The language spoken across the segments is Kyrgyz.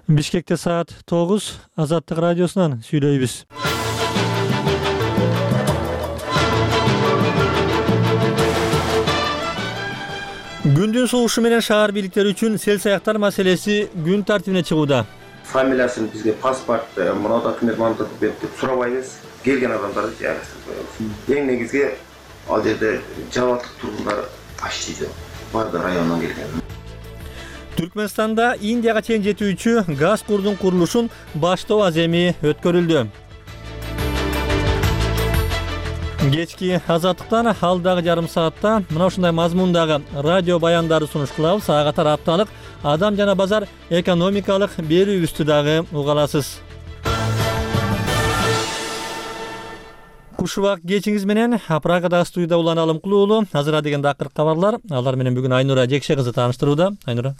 Бишкекте саат 9, Азаттык радиосунан сүйлөйбүз. Күндүн согушу менен шаар бийликтери үчүн сел-саяктар маселеси күн тартибине чыгууда. Фамилиясын бизге паспорт, мына документ, мына документ деп сурабайбыз. Келген адамдарды жайгаштырып коебуз. Эң негизги ал жерде жабаттык тургундар ашчы барды районунан келген. Түркмөнстанда Индияга чейин жетүүчү газ курдун курулушун баштоо аземи өткөрүлдү. Кечки Азаттыктан алдагы жарым саатта мына ушундай мазмундагы радио баяндарды сунуш кылабыз. Ага катар апталык адам жана базар экономикалык берүүбүздү дагы уга аласыз. Кушубак кечиңиз менен Прагада студияда Улан Алым Кулуулу. Азыр дегенде акыркы кабарлар. Алар менен бүгүн Айнура Жекше кызы тааныштырууда. Айнура.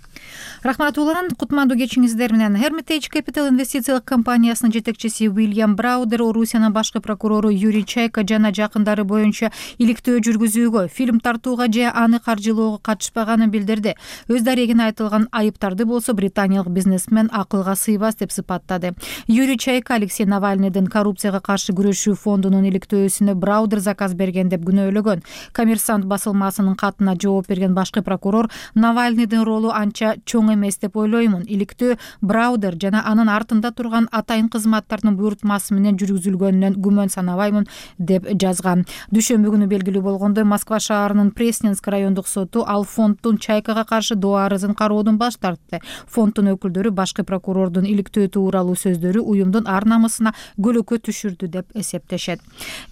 Рахмат Улан. Кутмандуу кечиңиздер менен. Hermitage Capital инвестициялык компаниясынын жетекчиси Уильям Браудер, Орусиянын башкы прокурору Юрий Чайка жана жакындары боюнча иликтөө жүргүзүүгө, фильм тартууга же аны каржылоого катышпаганын билдирди. Өз дарегине айтылган айыптарды болсо британиялык бизнесмен акылга сыйбас деп сыпаттады. Юрий Чайка Алексей Навальныйдын коррупцияга каршы күрөшүү фондунун иликтөөсүнө Браудер заказ берген деп күнөөлөгөн. Коммерсант басылмасынын катына жооп берген башкы прокурор Навальныйдын ролу анча чоң эмес деп ойлоймун. Иликтөө Браудер жана анын артында турган атайын кызматтардын буйртмасы менен жүргүзүлгөнүнөн күмөн санабаймын деп жазган. Дүйшөмбү күнү белгилүү болгондой, Москва шаарынын Пресненск райондук соту ал фонддун Чайкага каршы доо арызын кароодон баш тартты. Фонддун өкүлдөрү башкы прокурордун иликтөө тууралуу сөздөрү уюмдун ар намысына көлөкө түшүрдү деп эсептешет.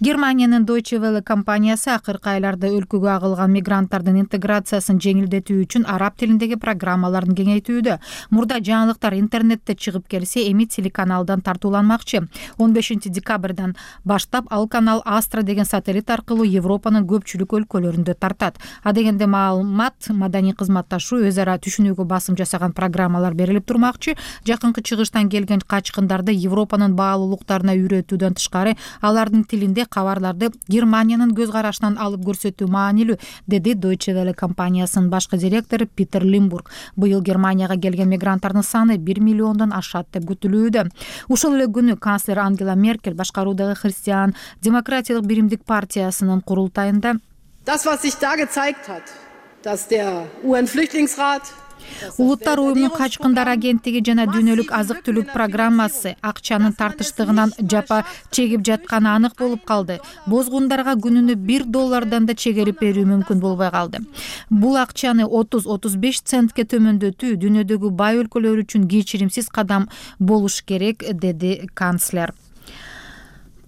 Германиянын Deutsche Welle компаниясы акыркы айларда өлкөгө агылган мигранттардын интеграциясын жеңилдетүү үчүн араб тилиндеги программаларын кеңейтүүдө. Мурда жаңылыктар интернетте чыгып келсе, эми телеканалдан тартууланмакчы. 15 декабрдан баштап ал канал Astra деген сателлит аркылуу Европанын көпчүлүк өлкөлөрүндө тартат. Адегенде маалымат, маданий кызматташуу, өз ара түшүнүүгө басым жасаган программалар берилип турмакчы. Жакынкы чыгыштан келген качкындарды Европанын баалуулуктарына үйрөтүүдөн тышкары, алардын тилинде кабарларды Германиянын көз карашынан алып көрсөтүү маанилүү, деди Deutsche Welle компаниясынын башкы директору Питер Лимбург. Быйыл Германияга келген мигранттардын саны 1 миллиондон ашат деп күтүлүүдө. Ушул эле күнү канцлер Ангела Меркель башкаруудагы Христиан демократиялык биримдик партиясынын курултайында Das, was sich da gezeigt hat, dass der UN-Flüchtlingsrat Улуттар уюмунун качкындар агенттиги жана дүйнөлүк азык-түлүк программасы акчанын тартыштыгынан жапа чегип жатканы анык болуп калды. Бозгундарга күнүнө $1 да чегерип берүү мүмкүн болбой калды. Бул акчаны 30-35 центке төмөндөтүү дүйнөдөгү бай өлкөлөр үчүн кечиримсиз кадам болуш керек, деди канцлер.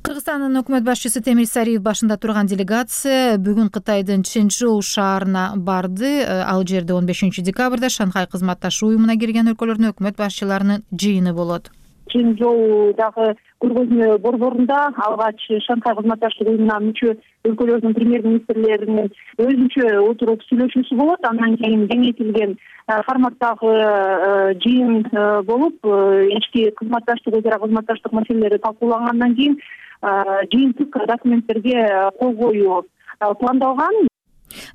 Кыргызстандын өкмөт башчысы Темир Сариев башында турган делегация бүгүн Кытайдын Чэньчжоу шаарына барды. Ал жерде 15 декабрда Шанхай кызматташуу уюмуна кирген өлкөлөрдүн өкмөт башчыларынын жыйыны болот. Чэньчжоудагы көргөзмө борборунда алгач Шанхай кызматташуу уюмуна мүчө өлкөлөрдүн премьер-министрлеринин өзүнчө отуруп сүйлөшүүсү болот. Андан кийин кеңейтилген форматтагы жыйын болуп, ички кызматташтык, өз ара кызматташтык маселелери талкуулангандан кийин жыйынтык документтерге кол коюу пландалган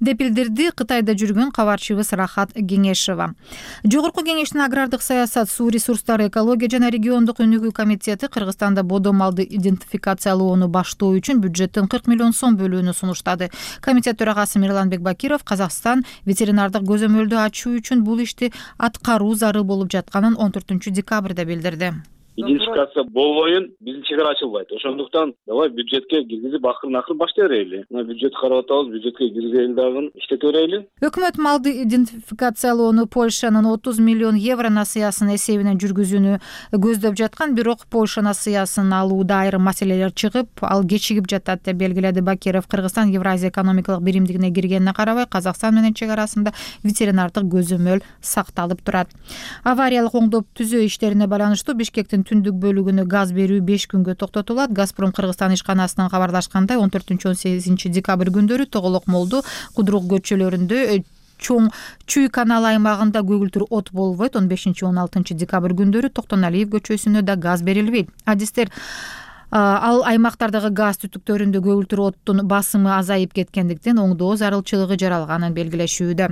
деп билдирди Кытайда жүргөн кабарчыбыз Рахат Кеңешова. Жогорку кеңештин агрардык саясат, суу ресурстары, экология жана региондук өнүгүү комитети Кыргызстанда бодо малды идентификациялоону баштоо үчүн бюджеттен 40 миллион сом бөлүүнү сунуштады. Комитет төрагасы Мирланбек Бакиров Казакстан ветеринардык көзөмөлдү ачуу үчүн бул ишти аткаруу зарыл болуп жатканын 14 декабрда билдирди. Идентификация болбойын биздин чегара ачылбайт. Ошондуктан давай бюджетке киргизип акырын баштай берели. Мына бюджет карап атабыз, бюджетке киргизели дагы иштете берели. Өкмөт малды идентификациялоону Польшанын 30 миллион евро насыясынын эсебинен жүргүзүүнү көздөп жаткан, бирок Польша насыясын алууда айрым маселелер чыгып, ал кечигип жатат деп белгиледи Бакиров. Кыргызстан Евразия экономикалык биримдигине киргенине карабай, Казакстан менен чек арасында ветеринардык көзөмөл сакталып турат. Авариялык оңдоп түзөө иштерине байланыштуу Бишкектин түндүк бөлүгүнө газ берүү 5 күнгө токтотулат. Газпром Кыргызстан ишканасынан кабарлашкандай 14-18 декабрь күндөрү Тоголок молду, Кудрук көчөлөрүндө чоң Чүй канал аймагында көгүлтүр от болбойт. 15-16 декабрь күндөрү Токтоналиев көчөсүнө да газ берилбейт. Адистер Ал аймактардагы газ түтүктөрүндө көгүлтүр оттун басымы азайып кеткендиктен оңдоо зарылчылыгы жаралганын белгилешүүдө.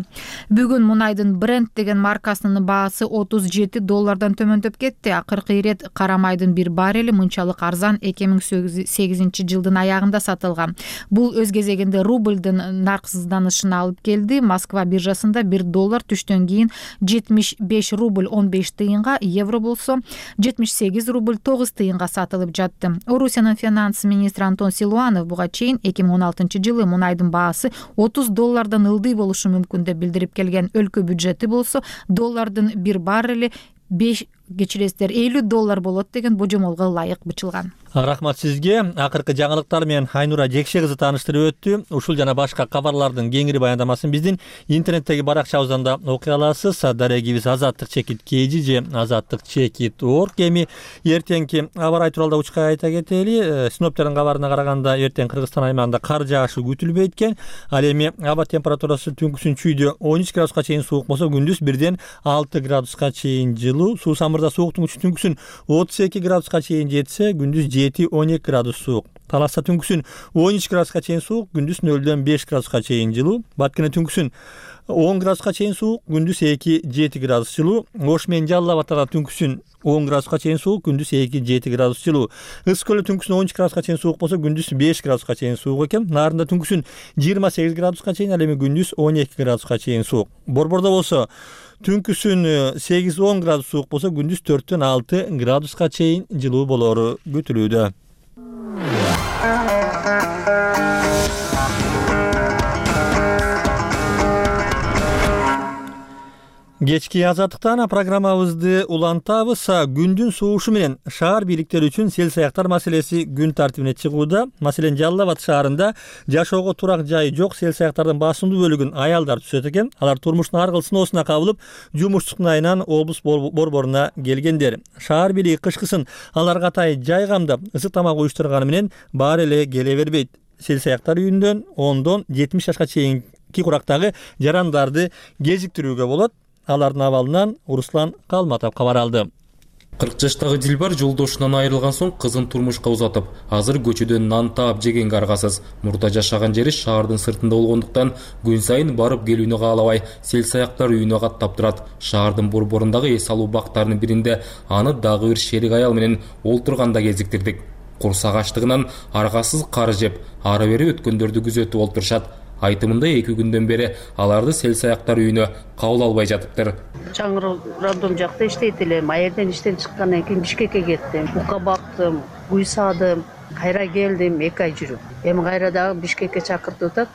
Бүгүн мунайдын Brent деген маркасынын баасы $37 төмөндөп кетти. Акыркы ирет кара майдын bir баррели мынчалык арзан 2008 жылдын аягында сатылган. Бул өз кезегинде рубльдын нарксызданышына алып келди. Москва биржасында $1 түштөн кийин 75 рубль 15 тыйынга, евро болсо 78 рубль 9 тыйынга сатылып жатты. Орусиянын финанс министри Антон Силуанов буга чейин 2016 жылы мунайдын баасы $30 ылдый болушу мүмкүн деп билдирип келген. Өлкө бюджети болсо доллардын bir баррели $50 болот деген божомолго ылайык бычылган. Рахмат сизге. Акыркы жаңылыктар менен Айнура Жекше кызы тааныштырып өттү. Ушул жана башка кабарлардын кеңири баяндамасын биздин интернеттеги баракчабыздан да окуй аласыз. Дарегибиз азаттык чекит kg же азаттык чекит org. Эми эртеңки аба ырайы тууралуу учка айта кетели. Синоптиктердин кабарына караганда эртең Кыргызстан аймагында кар жаашы күтүлбөйт экен. Ал эми аба температурасы түнкүсүн чүйдө 13 градуска чейин суук болсо, күндүз 1ден 6 градуска чейин жылуу. Суу самырда сууктун күчү түнкүсүн 32 градуска чейин жетсе, күндүз 7-12 градус суук. Таласта түнкүсүн 13 градуска чейин суук, күндүз 0дөн 5 градуска чейин жылуу. Баткене түнкүсүн 10 градуска чейин суук, күндүз 2-7 градус жылуу. Ош менен Жалал Абадта түнкүсүн 10 градуска чейин суук, күндүз 2-7 градус жылуу. Ысык көлдө түнкүсүн 13 градуска чейин суук болсо, күндүз 5 градуска чейин суук экен. Нарында түнкүсүн 28 градуска чейин, ал эми күндүз 12 градуска чейин суук. Борбордо болсо түнкүсүн 8-10 градус суук болсо, күндүз 4дөн 6 градуска чейин жылуу болору күтүлүүдө. Кечки азаттыктан программабызды улантабыз. Күндүн суушу менен шаар бийликтери үчүн сел саяктар маселеси күн тартибине чыгууда. Маселен, Жалал Абад шаарында жашоого турак жайы жок сел саяктардын басымдуу бөлүгүн аялдар түзөт экен. Алар турмуштун ар кыл сыноосуна кабылып, жумушчулуктун айынан облус борборуна келгендер. Шаар бийлиги кышкысын аларга атай жай камдап, ысык тамак уюштурганы менен баары эле келе бербейт. Сел саяктар үйүндөн 10дон 70 жашка чейинки курактагы жарандарды кезиктирүүгө болот. Алардын абалынан Руслан Калматов кабар алды. 40 жаштагы Дилбар жолдошунан айрылган соң кызын турмушка узатып, азыр көчөдөн нан таап жегенге аргасыз. Мурда жашаган жери шаардын сыртында болгондуктан күн сайын барып келүүнү каалабай, сел саяктар үйүнө каттап турат. Шаардын борборундагы эс алуу бактарынын биринде аны дагы бир шерик аял менен олтурганда кезиктирдик. Курсак ачтыгынан аргасыз кар жеп, ары бери өткөндөрдү күзөтүп олтурушат. Айтымында 2 күндөн бери аларды сел саяктар үйүнө кабыл албай жатыптыр. Чаңыр роддом жакта иштейт элем. Айерден иштен чыккандан кийин Бишкекке кеттим. Бука бактым, үй садым, кайра келдим 2 ай жүрүп. Эми кайра дагы Бишкекке чакыртып атат.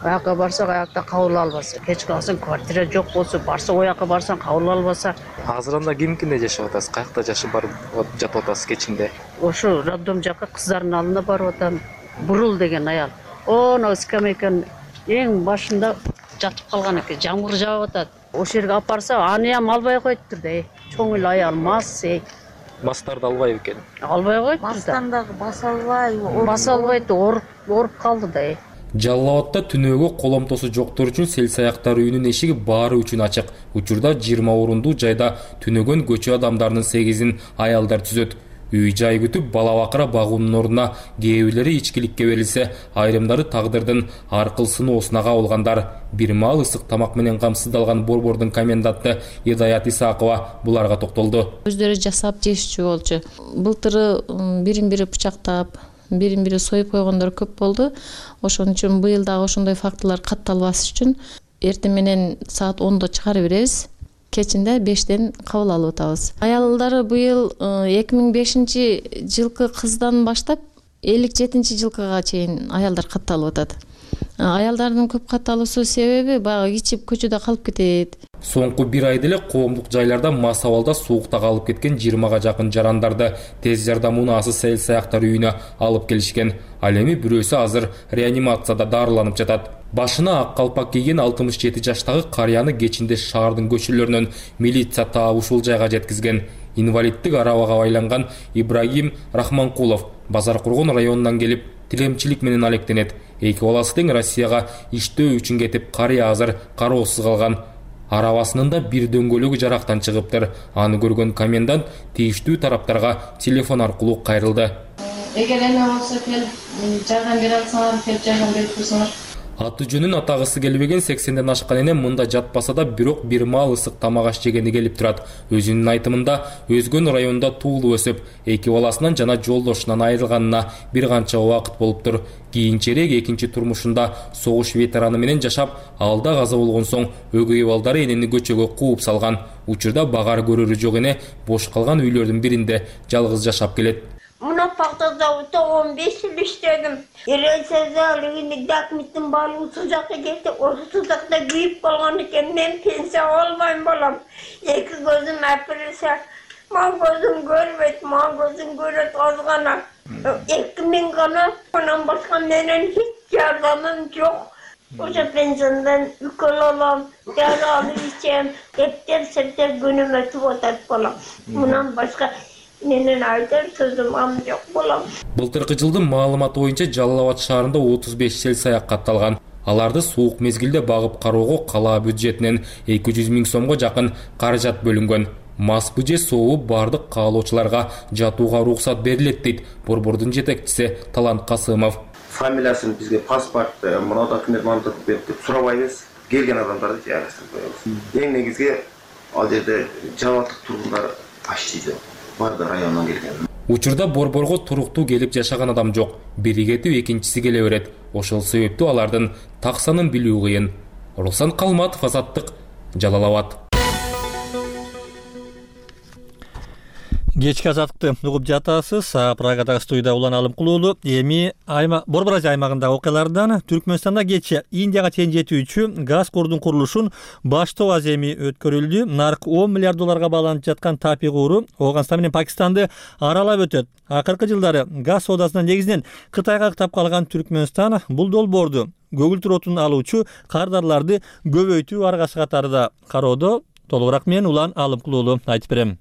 Аяка барсак, аякта кабыл албаса, кеч калсын квартира жок болсо, барсак ояка барсаң кабыл албаса. Азыр анда кимкинде жашап атасыз? Каякта жашап барып жатып атасыз кечинде? Ошо роддом жакка кыздардын алдына барып атам. Бурул деген аял. Оно скамейканын эң башында жатып калган экен. Жамгыр жаап атат. Ошол жерге алып барса, анıyam албай коюптур да. Чоң эле аял мас. Мастарды албай экен. Албай коюптур да. Мастан дагы баса албай, баса албайт, оруп калды да. Жалал Абадта түнөөгө коломтосу жоктор үчүн сел саяктар үйүнүн эшиги баары үчүн ачык. Учурда 20 орундуу жайда түнөгөн көчө адамдарынын 8-ин аялдар түзөт. Үй жай күтүп бала бакыра багуунун ордуна кээ бирлери ичкиликке берилсе, айрымдары тагдырдын ар кыл сыноосуна кабылгандар. Бир маал ысык тамак менен камсыздалган борбордун коменданты Идаят Исакова буларга токтолду. Өздөрү жасап жешчү болчу. Былтыры бирин-бири бычактап, бирин-бири союп койгондор көп болду. Ошон үчүн быйыл дагы ошондой фактылар катталбаш үчүн эртең менен саат 10до чыгарып беребиз. Кечинде 5ден кабыл алып атабыз. Аялдары быйыл 2005 жылкы кыздан баштап 57 жылкыга чейин аялдар катталып атат. Аялдардын көп катталуусу себеби баягы ичип көчөдө калып кетет. Соңку 1 айда эле коомдук жайларда мас абалда суукта калып кеткен 20га жакын жарандарды тез жардам унаасы сел саяктар үйүнө алып келишкен. Ал эми бирөөсү азыр реанимацияда дарыланып жатат. Башына ак калпак кийген 67 жаштагы карыяны кечинде шаардын көчөлөрүнөн милиция таап ушул жайга жеткизген. Инвалиддик арабага байланган Ибрагим Рахманкулов Базар Кургон районунан келип, тилемчилик менен алектенет. 2 баласы тең Россияга иштөө үчүн кетип, карыя азыр кароосуз калган. Арабасынын да бир дөңгөлөгү жарактан чыгыптыр. Аны көргөн комендант тийиштүү тараптарга телефон аркылуу кайрылды. Эгер эме болсо келип жардам бере алсаңар, келип жардам берип турсаңар. Аты жөнүн атагысы келбеген 80ден ашкан эне мында жатпаса да бирок бир маал ысык тамак аш жегени келип турат. Өзүнүн айтымында өзгөн районунда туулуп өсүп, 2 баласынан жана жолдошунан айрылганына бир канча убакыт болуптур. Кийинчерээк экинчи турмушунда согуш ветераны менен жашап, алда каза болгон соң өгөй балдары энени көчөгө кууп салган. Учурда багар көрөрү жок эне бош калган үйлөрдүн биринде жалгыз жашап келет. Мына пахта заводта 15 жыл иштедим. Элесезалыгын документтин баары сузакка кетти. Ошо сузакта күйүп калган экен. Мен пенсия албайм балам. Эки көзүм апырса, мага көзүм көрбөйт, мага көзүм көрөт аз гана. 2000 гана, анан башка менен эч жардамым жок. Ошо пенсиядан укол алам, дары алып ичем. Эптер күнүм өтүп атат балам. Мунан башка менен айтар сөзүм жок болом. Былтыркы жылдын маалыматы боюнча Жалал Абад шаарында 35 сел саяк катталган. Аларды суук мезгилде багып кароого кала бюджетинен 200 000 сомго жакын каражат бөлүнгөн. Мас же сооп бардык каалоочуларга жатууга уруксат берилет дейт борбордун жетекчиси Талант Касымов. Фамилиясын бизге паспорт, мына документ мантып берип деп сурабайбыз. Келген адамдарды жайгаштырып коебуз. Эң негизги ал жерде жабаттык тургундар аштыйды. Барды районунан келген. Учурда борборго туруктуу келип жашаган адам жок. Бири кетип экинчиси келе берет. Ошол себептүү алардын так санын билүү кыйын. Руслан Калматов, Азаттык, Жалал Абад. Кечки азаттыкты угуп жатасыз. Прагадагы студияда Улан Алымкулуулу. Эми Борбор Азия аймагындагы окуялардан Түркмөнстанда кечээ Индияга чейин жетүүчү газ курдун курулушун баштоо аземи өткөрүлдү. Нарк $10 миллиард бааланып жаткан Тапи куру Ооганстан менен Пакистанды аралап өтөт. Акыркы жылдары газ соодасынан негизинен Кытайга ктап калган Түркмөнстан бул долбоорду көгүлтүр отун алуучу кардарларды көбөйтүү аргасы катарында кароодо. Толугураак мен Улан Алымкулуулу айтып берем.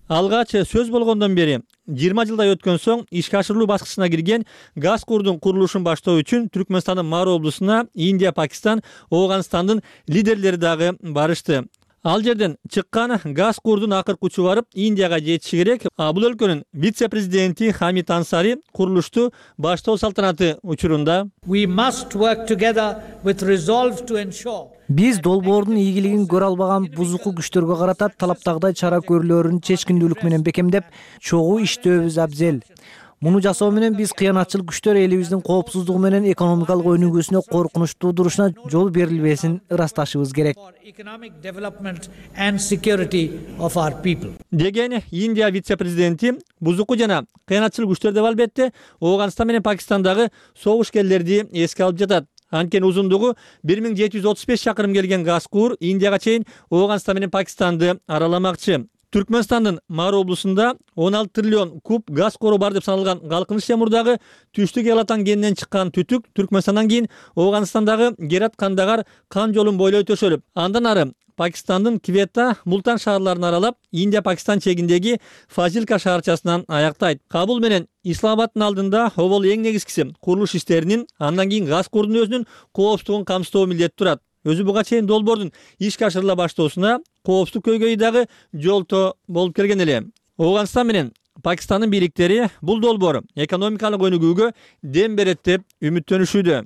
Алгач сөз болгондон бери 20 жылдай өткөн соң ишке ашырылуу баскычына кирген газ курдун курулушун баштоо үчүн Түркмөнстандын Мару облусуна Индия, Пакистан, Ооганстандын лидерлери дагы барышты. Ал жерден чыккан газ курдун акыркы учу барып Индияга жетиши керек. Бул өлкөнүн вице-президенти Хамид Ансари курулушту баштоо салтанаты учурунда биз долбоордун ийгилигин көрө албаган бузуку күчтөргө карата талаптагыдай чара көрүүлөрүн чечкиндүүлүк менен бекемдеп, чогуу иштөөбүз абзел. Муну жасоо менен биз кыянатчыл күчтөр элибиздин коопсуздугу менен экономикалык өнүгүүсүнө коркунуч туудурушуна жол берилбесин ырасташыбыз керек. Деген Индия вице-президенти бузуку жана кыянатчыл күчтөр деп албетте Ооганстан менен Пакистандагы согушкерлерди эске алып жатат. Анткени узундугу 1735 чакырым келген газ кур Индияга чейин Ооганстан менен Пакистанды араламакчы. Түркмөнстандын Мару облусунда 16 триллион куб газ кору бар деп саналган Галкыныч темурдагы Түштүк Элатан кенинен чыккан түтүк Түркмөнстандан кийин Ооганстандагы Герат Кандагар кан жолун бойлой төшөлүп, андан ары Пакистандын Квета, Мултан шаарларын аралап, Индия-Пакистан чегиндеги Фазилка шаарчасынан аяктайт. Кабул менен Исламабаддын алдында обол эң негизгиси курулуш иштеринин, андан кийин газ курдун өзүнүн коопсуздугун камсыздоо милдети турат. Өзү буга чейин долбоордун ишке ашырыла баштоосуна коопсуздук көйгөйү дагы жолто болуп келген эле. Ооганстан менен Пакистандын бийликтери бул долбоор экономикалык өнүгүүгө дем берет деп үмүттөнүшүүдө.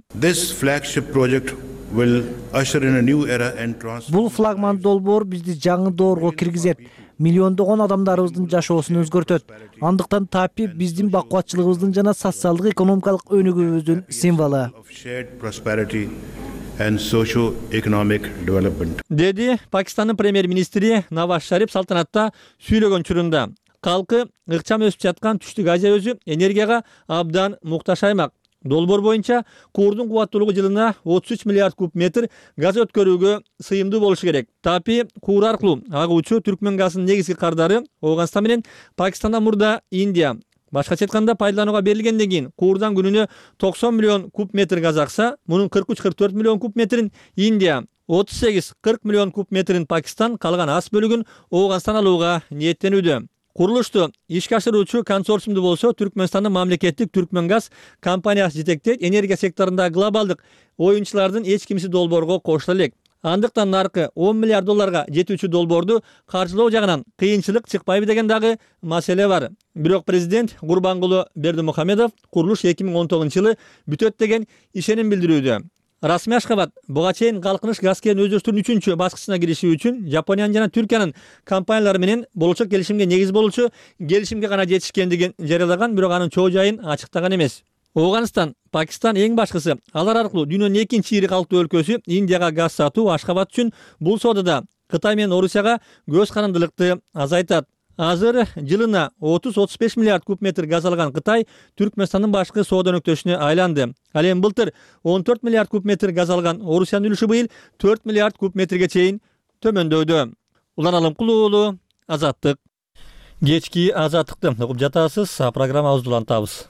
Бул флагман долбоор бизди жаңы доорго киргизет, миллиондогон адамдарыбыздын жашоосун өзгөртөт. Андыктан Тапи биздин бакубатчылыгыбыздын жана социалдык экономикалык өнүгүүбүздүн символу. Деди Пакистандын премьер-министри Наваз Шариф салтанатта сүйлөгөн чурунда. Калкы ыкчам өсүп жаткан Түштүк Азия өзү энергияга абдан муктаж аймак. Долбоор боюнча курдун кубаттуулугу жылына 33 миллиард куб метр газ өткөрүүгө сыйымдуу болушу керек. Тапи кур аркылуу агуучу Түркмөн газынын негизги кардары Ооганстан менен Пакистандан мурда Индия. Башкача айтканда пайдаланууга берилгенден кийин курдан күнүнө 90 миллион куб метр газ акса, мунун 43-44 миллион куб метрин Индия, 38-40 миллион куб метрин Пакистан, калган аз бөлүгүн Ооганстан алууга ниеттенүүдө. Курулушту ишке ашыруучу консорциумду болсо Түркмөнстандын мамлекеттик Түркмөнгаз компаниясы жетектейт. Энергия секторундагы глобалдык оюнчулардын эч кимиси долбоорго кошула элек. Андыктан наркы 10 миллиард долларга жетүүчү долбоорду каржылоо жагынан кыйынчылык чыкпайбы деген дагы маселе бар. Бирок президент Гурбангулы Бердимухамедов курулуш 2019-жылы бүтөт деген ишеним билдирүүдө. Расмий Ашхабад буга чейин калкыныш газ кен өздөртүүнүн 3-чү баскычына кириши үчүн Япониянын жана Түркиянын компаниялары менен болочок келишимге негиз болуучу келишимге гана жетишкендигин жарыялаган, бирок анын чоо жайын ачыктаган эмес. Афганистан, Пакистан эң башкысы, алар аркылуу дүйнөнүн экинчи ири калктуу өлкөсү Индияга газ сатуу Ашхабад үчүн бул соодада Кытай менен Орусияга көз карандылыкты азайтат. Азыр жылына 30-35 миллиард куб метр газ алган Кытай Түркмөнстандын башкы соода өнөктөшүнө айланды. Ал эми былтыр 14 миллиард куб метр газ алган Орусиянын үлүшү быйыл 4 миллиард куб метрге чейин төмөндөдү. Улан Алымкулуу уулу, Азаттык. Кечки Азаттыкты угуп жатасыз, программабызды улантабыз.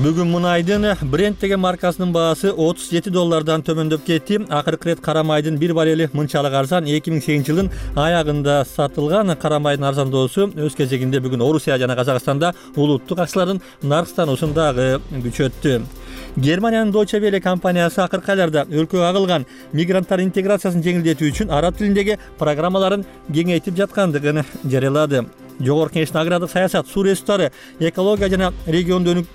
Бүгүн мунайдын Brent деген маркасынын баасы 37 доллардан төмөндөп кетти. Акыркы ирет кара майдын бир баррели мынчалык арзан 2008 жылдын аягында сатылган. Кара майдын арзандоосу өз кезегинде бүгүн Орусия жана Казакстанда улуттук акчалардын наркстануусун дагы күчөттү. Германиянын Deutsche Welle компаниясы акыркы айларда өлкөгө агылган мигранттардын интеграциясын жеңилдетүү үчүн араб тилиндеги программаларын кеңейтип жаткандыгын жарыялады. Жогорку Кеңештин агрардык саясат, суу ресурстары, экология жана региондук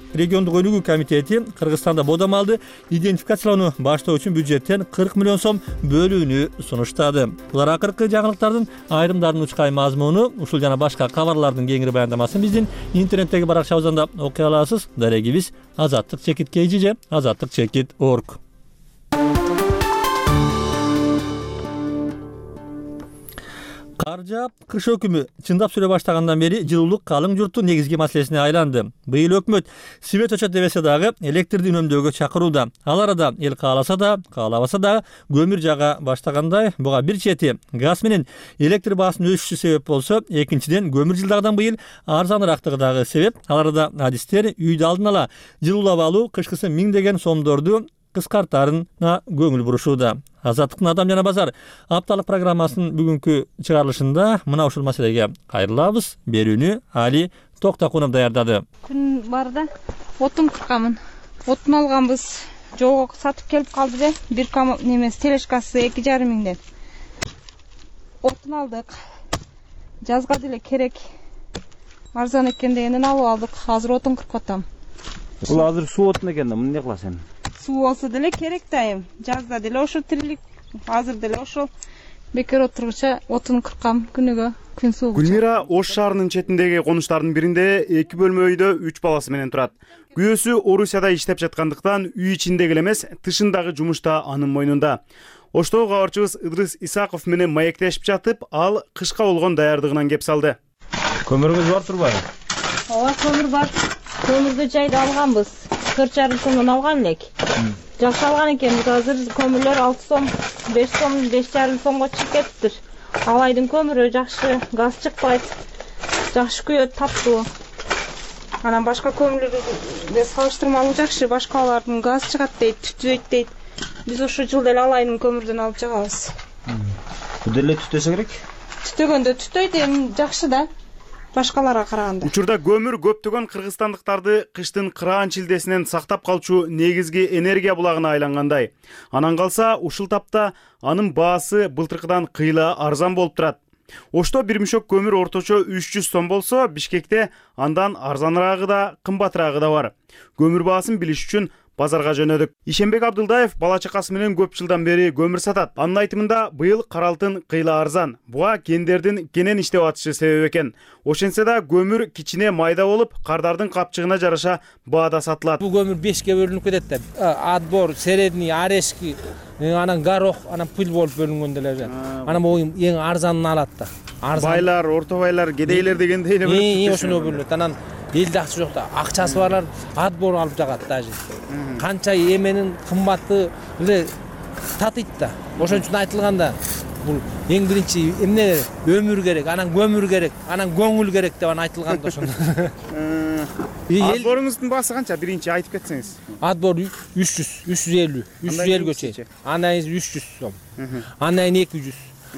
өнүгүү комитети Кыргызстанда бодомалды идентификациялоону баштоо үчүн бюджеттен 40 миллион сом бөлүүнү сунуштады. Булар акыркы жаңылыктардын айрымдарынын учкай мазмуну. Ушул жана башка кабарлардын кеңири баяндамасын биздин интернеттеги баракчабыздан да окуй аласыз. Дарегибиз azattik.kg, azattik.org. Кар жаап, кыш өкүмү чындап сүрө баштагандан бери жылуулук калың журттун негизги маселесине айланды. Быйыл өкмөт свет өчөт дебесе дагы электрди үнөмдөөгө чакырууда. Ал арада эл кааласа да, каалабаса да көмүр жага баштагандай. Буга бир чети газ менен электр баасынын өсүшү себеп болсо, экинчиден көмүр жылдагыдан быйыл арзаныраактыгы дагы себеп. Ал арада адистер үйдү алдын ала жылуулап алуу кышкысы миңдеген сомдорду кыскартаарына көңүл бурушууда. Азаттыктын Адам жана базар апталык программасынын бүгүнкү чыгарылышында мына ушул маселеге кайрылабыз. Берүүнү Али Токтакунов даярдады. Күн барда отун кыркамын. Отун алганбыз. Жолго сатып келип калды да, бир немес телешкасы 2,5 миңден. Отун алдык. Жазга деле керек. Арзан экен дегенден алып алдык. Азыр отун кыркып атам. Бул азыр суу отун экен да, муну эмне кыласың? Суу болсо деле керек дайым. Жазда деле ошо тирилик, азыр деле ошол бекер отургуча отун кыркам күнүгө, күн суугуча. Гүлмира Ош шаарынын четиндеги конуштардын биринде 2 бөлмө үйдө 3 баласы менен турат. Күйөөсү Орусияда иштеп жаткандыктан үй ичиндеги эмес, тышындагы жумуш да анын мойнунда. Оштогу кабарчыбыз Ыдрыс Исаков менен маектешип жатып, ал кышка болгон даярдыгынан кеп салды. Көмүрүңүз бар турбайбы? Ооба, көмүр бар. Көмүрдү жайда алганбыз. 4,5 сомдон алган элек. Жакшы алган экенбиз. Азыр көмүрлөр 6 сом, 5 сом, 5,5 сомго чыгып кетиптир. Алайдын көмүрү жакшы, газ чыкпайт. Жакшы күйөт, таптуу. Анан башка көмүрлөргө салыштырмалуу жакшы, башкалардын газ чыгат дейт, түтөйт дейт. Биз ошо жыл деле алайдын көмүрдөн алып жагабыз. Бул деле түтөсө керек? Түтөгөндө түтөйт, эми жакшы да. Башкаларга караганда. Учурда көмүр көптөгөн кыргызстандыктарды кыштын кыраан чилдесинен сактап калчу негизги энергия булагына айлангандай. Анан калса, ушул тапта анын баасы былтыркыдан кыйла арзан болуп турат. Ошто бир мешок көмүр орточо 300 сом болсо, Бишкекте андан арзаныраагы да, кымбатыраагы да бар. Көмүр баасын билиш үчүн базарга жөнөдүк. Ишенбек Абдылдаев бала чакасы менен көп жылдан бери көмүр сатат. Анын айтымында быйыл кара алтын кыйла арзан. Буга кендердин кенен иштеп атышы себеп экен. Ошентсе да көмүр кичине майда болуп, кардардын капчыгына жараша баада сатылат. Бул көмүр 5ке бөлүнүп кетет да. Отбор, средний, орешки, анан горох, анан пыл болуп бөлүнгөн деле. Анан бул эң арзанын алат да. Байлар, орто байлар, кедейлер дегендей эле бөлүнөт. Ошоно бөлүнөт. Анан элде акча жок да, акчасы барлар отбор алып жагат даже. Канча эменин кымбаты эле татыйт да. Ошон үчүн айтылганда бул эң биринчи эмне өмүр керек, анан көмүр керек, анан көңүл керек деп айтылган да ошондо. Отборуңуздун баасы канча? Биринчи айтып кетсеңиз. Отбор 350 чейин. Анан 300 сом. Анан 200.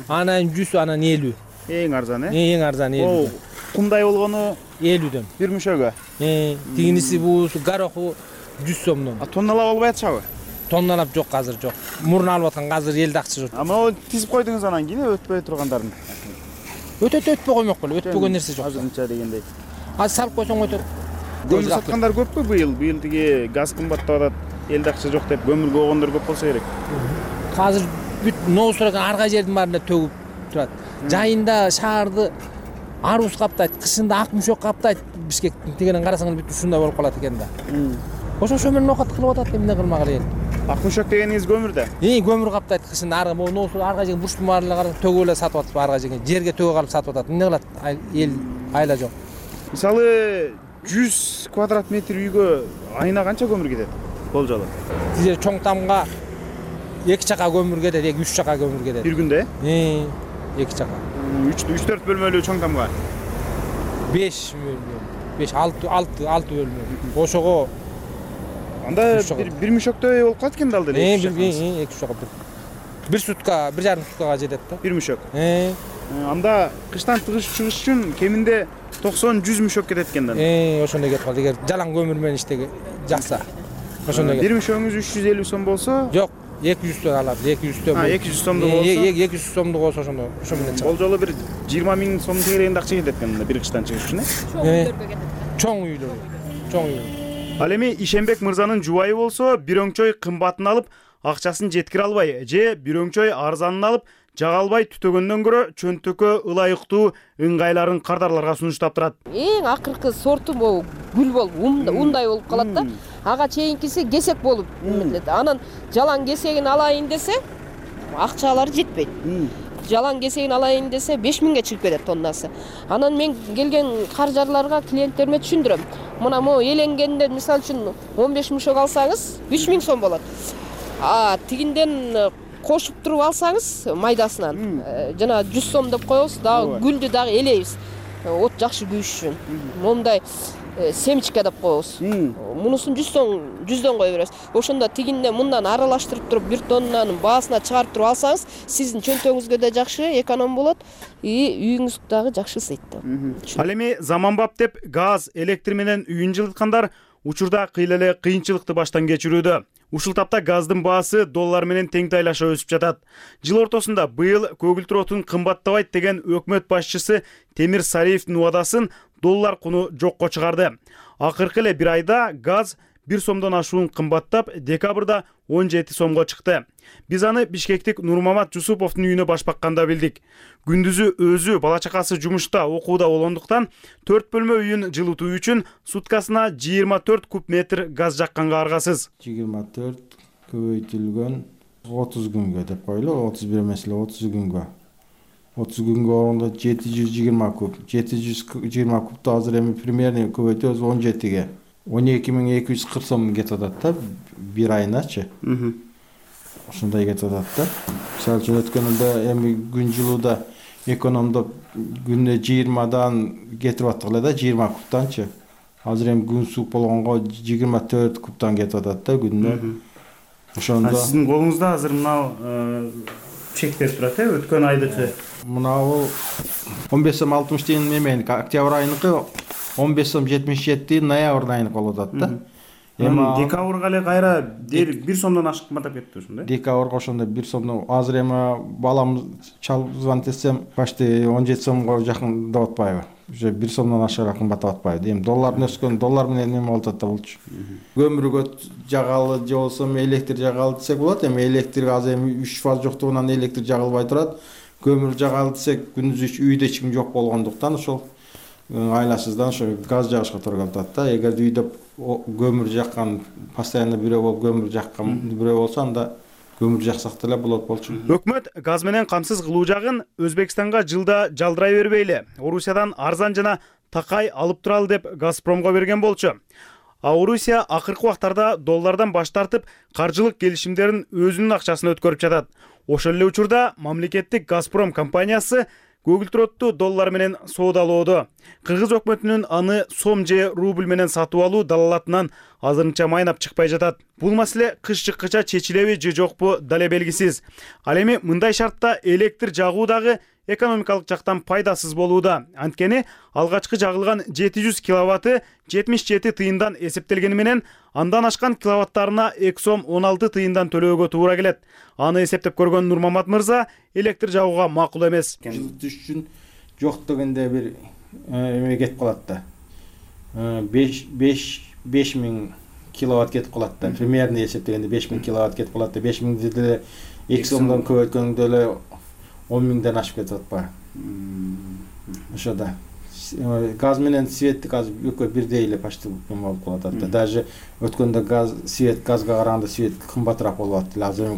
Анан 100, анан 50. Эң арзан, Эң арзан 50. кумдай болгону 50дөн. Бир мүшөгө. Тигиниси бул гороху 100 сомдон. Тонналап албай атышабы? Тонналап жок азыр жок. Мурун алып аткан азыр элди акча жок. Могу тизип койдуңуз анан кийин өтпөй тургандарын. Өтөтө өтпөй коймок беле, өтпөгөн нерсе жок. Азырынча дегендей. Азыр салып койсоң өтөт. Көмүр саткандар көппү быйыл? Быйыл тиги газ кымбаттап атат, элди акча жок деп көмүргө койгондор көп болсо керек. Азыр бүт ноосурак ар кай жердин баарында төгүп турат. Жайында шаарды арбуз каптайт, кышында ак мүшөк каптайт. Бишкектин тигенен карасаң бүт ушундай болуп калат экен да. Ошо менен окат кылып атат, эмне кылмак эле. Ак мүшөк дегениңиз көмүр да? Көмүр каптайт кышында ар ноосу ар кай жерге бурчтун баарына карап төгүп эле сатып атат, ар кай жерге төгүп алып сатып атат. Эмне кылат? Эл айла жок. Мисалы 100 квадрат метр үйгө айына канча көмүр кетет? Болжолу. Тиже чоң тамга 2 чака көмүр кетет, 2-3 чака көмүр кетет. Бир күндө? 2 чака. 3-4 бөлмөлүү чоң тамга? 5 6 бөлмө. Ошого анда бир мүшөктөй болуп калат экен да алды эле. 2 чака. Бир сутка, 1,5 суткага жетет да. Бир мүшөк. Анда кыштан чыгыш үчүн кеминде 90-100 мүшөк кетет экен да. Ошондой кетип калды. Эгер жалаң көмүр менен иштеге жакса. Ошондой. Бир мүшөгүңүз 350 сом болсо? Жок, 200 сом алат. 200 сом. 200 сомдук болсо? 200 сомдук болсо ошондой. Ошо менен чыгат. Болжолу бир 20 миң сом тегерегинде акча кетет экен бир кыштан чыгыш үчүн, Чоң үйлөр. Чоң үйлөр. Ал эми Ишенбек мырзанын жубайы болсо, бир өңчөй кымбатын алып, акчасын жеткире албай, же бир өңчөй арзанын алып, жага албай түтөгөндөн көрө чөнтөккө ылайыктуу ыңгайларын кардарларга сунуштап турат. Эң акыркы сорту могу гүл болуп, ундай болуп калат да. Ага чейинкиси кесек болуп эмилет. Анан жалаң кесегин алайын десе, акчалары жетпейт. Жалаң кесегин алайын десе 5000ге чыгып кетет тоннасы. Анан мен келген каржарларга, клиенттериме түшүндүрөм. Мына могу эленгенде мисалы үчүн 15 мүшөк алсаңыз 3000 сом болот. Тигинден кошуп туруп алсаңыз майдасынан жана 100 сом деп коебуз, дагы гүлдү дагы элейбиз. От жакшы күйүш үчүн. Момундай семечка деп коебуз. Мунусун 100дөн кое беребиз. Ошондо тигинден мындан аралаштырып туруп 1 тоннанын баасына чыгарып туруп алсаңыз, сиздин чөнтөгүңүзгө да жакшы эконом болот, үйүңүз дагы жакшы ысыйт. Ал эми заманбап деп газ, электр менен үйүн жылыткандар учурда кыйла эле кыйынчылыкты баштан кечирүүдө. Ушул тапта газдын баасы доллар менен тең тайлаша өсүп жатат. Жыл ортосунда быйыл көгүлтүр отун кымбаттабайт деген өкмөт башчысы Темир Сариевдин убадасын доллар куну жокко чыгарды. Акыркы эле бир айда газ 1 сомдон ашуун кымбаттап, декабрда 17 сомго чыкты. Биз аны Бишкектик Нурмамат Жусуповдун үйүнө башпакканда билдик. Күндүзү өзү бала чакасы жумушта, окууда болгондуктан 4 бөлмө үйүн жылытуу үчүн суткасына 24 куб метр газ жакканга аргасыз. 24 көбөйтүлгөн 30 күнгө деп койлу, 31 эмес эле 30 күнгө. 30 күнгө орунда 720 куб. 720 кубту азыр эми примерно көбөйтөбүз 17ге. 12240 сом кетип атат да бир айыначы. Ошондой кетип атат да. Мисалы үчүн өткөнүндө эми күн жылууда экономдоп күнүнө 20дан кетирип аттык эле да 20 кубтанчы. Азыр эми күн суук болгонго 24 кубтан кетип атат да күнүнө. Ошондо сиздин колуңузда азыр мына чектер турат, өткөн айдыкы. Мынабу 15 сом 60 тиын эмен октябрь айыныкы 15 сом 77 ноябрь айыныкы болуп атат да. Эми декабрга эле кайра 1 сомдон ашык кымбаттап кетти ошондой. Декабрга ошондой 1 сомдон азыр эми балам чалып звонить этсем почти 17 сомго жакын деп атпайбы. Уже 1 сомдон ашыгыраак кымбаттап атпайбы. Эми доллардын өскөн, доллар менен эме болуп атат да болчу. Көмүргө жагалы же болсо электр жагалы десек болот. Эми электр азыр эми 3 фаз жоктугунан электр жагылбай турат. Көмүр жагалы десек күндүз үйдө эч ким жок болгондуктан ошол айласыздан ошо газ жагышка туура келип атат да. Эгер үйдө көмүр жаккан, постоянно бирөө болуп көмүр жаккан бирөө болсо анда көмүр жаксак деле болот болчу. Өкмөт газ менен камсыз кылуу жагын Өзбекстанга жылда жалдырай бербейли. Орусиядан арзан жана такай алып туралы деп Газпромго берген болчу. Орусия акыркы убактарда доллардан баш тартып, каржылык келишимдерин өзүнүн акчасына өткөрүп жатат. Ошол эле учурда мамлекеттик Газпром компаниясы көгүлтүр отту доллар менен соодалоодо. Кыргыз өкмөтүнүн аны сом же рубль менен сатып алуу далалатынан азырынча майнап чыкпай жатат. Бул маселе кыш чыккыча чечилеби же жокпу дале белгисиз. Ал эми мындай шартта электр жагуу дагы экономикалык жактан пайдасыз болууда. Анткени алгачкы жагылган 700 киловатты 77 тыйындан эсептелгени менен андан ашкан киловаттарына 2 сом 16 тыйындан төлөөгө туура келет. Аны эсептеп көргөн Нурмамат мырза электр жагууга макул эмес. Жылытыш үчүн жок дегенде бир эме кетип калат да. 5000 киловатт кетип калат да. Примерно эсептегенде 5000 киловатт кетип калат да. 5000 деле 2 сомдон көбөйткөндө эле 10 миңден ашып кетип атпайбы? Ошо да. Газ менен светтик азыр экөө бирдей эле почти болуп калат да. Даже өткөндө газга караганда свет кымбатыраак болуп атты. Азыр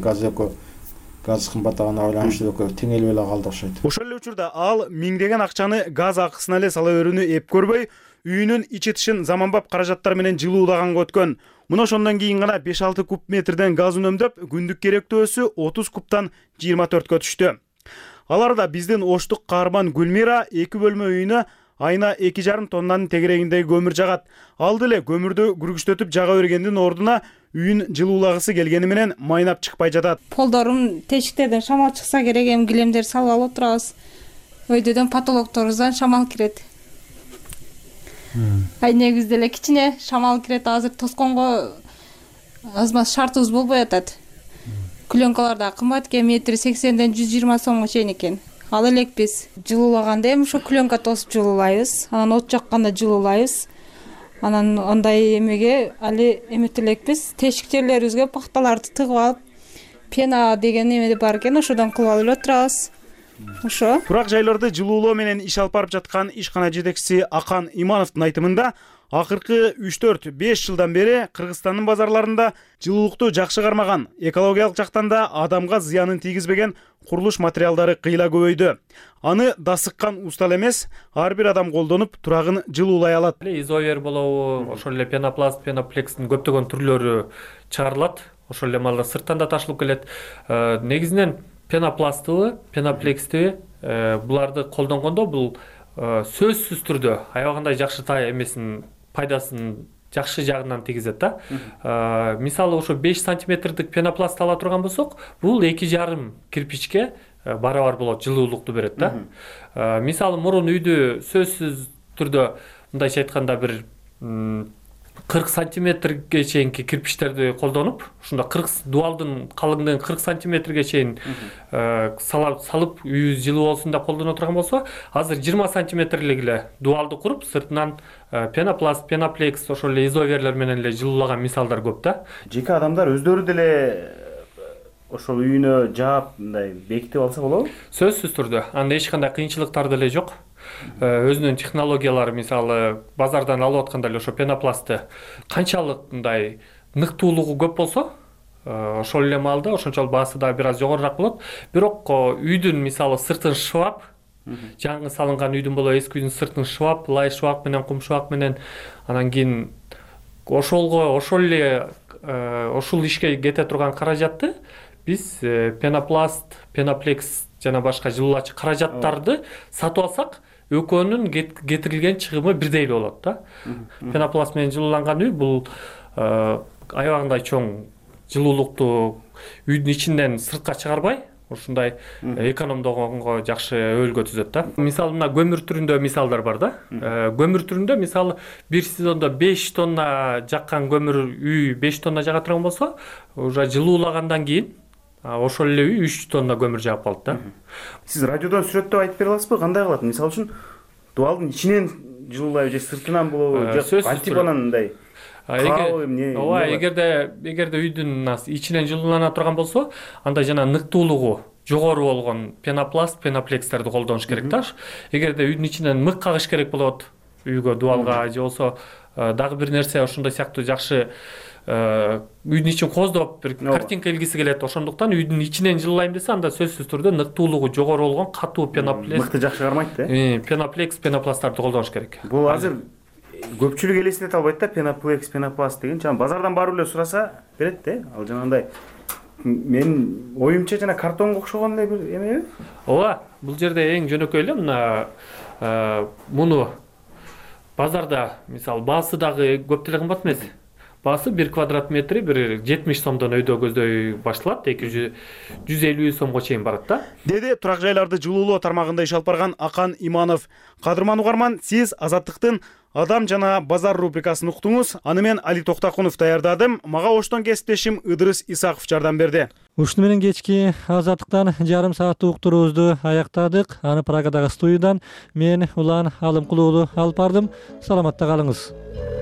газ кымбаттагына байланыштуу экөө теңелип эле калды окшойт. Ошол эле учурда ал миңдеген акчаны газ акысына эле сала берүүнү эп көрбөй, үйүнүн ичи тышын заманбап каражаттар менен жылуулаганга өткөн. Мына ошондон кийин гана 5-6 куб метрден газ үнөмдөп, күндүк керектөөсү 30 кубтан 24кө түштү. Аларда биздин оштук каарман Гүлмира 2 бөлмө үйүнө айына 2,5 тоннанын тегерегиндеги көмүр жагат. Ал деле көмүрдү күргүчтөтүп жага бергендин ордуна үйүн жылуулагысы келгени менен майнап чыкпай жатат. Полдорум тешиктерден шамал чыкса керек, эми килемдер салып алып отурабыз. Өйдөдөн потолокторубуздан шамал кирет. Ай негизде эле кичине шамал кирет, азыр тосконго азмаз шартыбыз болбой атат. Клёнкалар да кымбат экен, метри 80ден 120 сомго чейин экен. Ал элек биз жылуулаганда эми ошо клёнка тосуп жылуулайбыз, анан от жакканда жылуулайбыз. Анан андай эмеге али эмет элекпиз, тешик жерлерибизге пахталарды тыгып алып, пена деген эме бар экен, ошодон кылып алып отурабыз. Ошо. Турак жайларды жылуулоо менен иш алып барып жаткан ишкана жетекчиси Акан Имановдун айтымында, акыркы 3-4-5 жылдан бери Кыргызстандын базарларында жылуулукту жакшы кармаган, экологиялык жактан да адамга зыянын тийгизбеген курулуш материалдары кыйла көбөйдү. Аны дасыккан устал эмес, ар бир адам колдонуп турагын жылуулай алат. Изовер болобу, ошол эле пенопласт, пеноплекстин көптөгөн түрлөрү чыгарылат. Ошол эле малда сырттан да ташылып келет. Негизинен пенопластыбы, пеноплекстиби буларды колдонгондо бул сөзсүз түрдө аябагандай жакшы эмесин пайдасын жакшы жагынан тийгизет да. Мисалы ошо 5 сантиметрдик пенопласт ала турган болсок, бул 2,5 кирпичке барабар болот, жылуулукту берет да. Мисалы мурун үйдү сөзсүз түрдө мындайча айтканда бир 40 сантиметрге чейинки кирпичтерди колдонуп, ушунда 40 дуалдын калыңдыгын 40 сантиметрге чейин салып үй жылуу болсун деп колдоно турган болсо, азыр 20 сантиметрлик эле дуалды куруп, сыртынан пенопласт, пеноплекс, ошол эле изоверлер менен эле жылуулаган мисалдар көп да. Жеке адамдар өздөрү деле ошол үйүнө жаап мындай бекитип алса болобу? Сөзсүз түрдө. Анда эч кандай кыйынчылыктар деле жок. Өзүнүн технологиялары, мисалы базардан алып атканда эле ошо пенопластты канчалык мындай ныктуулугу көп болсо, ошол эле маалда ошончолук баасы да бир аз жогорураак болот. Бирок үйдүн мисалы сыртын шыбап, жаңы салынган үйдүн болобу, эски үйдүн сыртын шыбап, лай шыбак менен, кум шыбак менен, анан кийин ошол эле ушул ишке кете турган каражатты биз пенопласт, пеноплекс жана башка жылуулачу каражаттарды сатып алсак, экөөнүн кетирилген чыгымы бирдей эле болот да. Пенопласт менен жылууланган үй бул аябагандай чоң жылуулукту үйдүн ичинен сыртка чыгарбай, ушундай экономдогонго жакшы өбөлгө түзөт да. Мисалы мына көмүр түрүндө мисалдар бар да. Көмүр түрүндө мисалы бир сезондо 5 тонна жаккан көмүр үй 5 тонна жага турган болсо, уже жылуулагандан кийин ошол эле үй 3 тонна көмүр жагып калат да. Сиз радиодон сүрөттөп айтып бере аласызбы, кандай кылат? Мисалы үчүн дуалдын ичинен жылуулайбы же сыртынан болобу, же антипанан мындай? Эгерде үйдүн ичинен жылуулана турган болсо, анда жана ныктуулугу жогору болгон пенопласт, пеноплекстерди колдонуш керек да. Эгерде үйдүн ичинен мык кагыш керек болот, үйгө, дуалга же болсо дагы бир нерсе ошондой сыяктуу жакшы үйдүн ичин коздоп бир картинка илгиси келет. Ошондуктан үйдүн ичинен жылуулайм десе, анда сөзсүз түрдө ныктуулугу жогору болгон катуу пеноплекс, мыкты жакшы кармайт да. Пеноплекс, пенопласттарды колдонуш керек. Бул азыр көпчүлүк элестете албайт да, пеноплекс, пенопласт деген. Жана базардан барып эле сураса берет да. Ал жанагындай мен оюмча жана картонго окшогондой бир эмеби? Ооба, бул жерде эң жөнөкөй эле мына муну базарда мисалы баасы дагы көп деле кымбат эмес. баасы 1 квадрат метри бир 70 сомдон өйдө көздөй башталат, 150 сомго чейин барат да. Деди турак жайларды жылуулоо тармагында иш алып барган Акан Иманов. Кадырман угарман, сиз Азаттыктын Адам жана базар рубрикасын уктуңуз. Аны мен Али Токтакунов даярдадым. Мага оштон кесиптешим Ыдырыс Исаков жардам берди. Ушуну менен кечки Азаттыктан жарым сааттык уктуруубузду аяктадык. Аны Праgadагы студиядан мен Улан Алымкулуулу алып бардым. Саламатта калыңыз.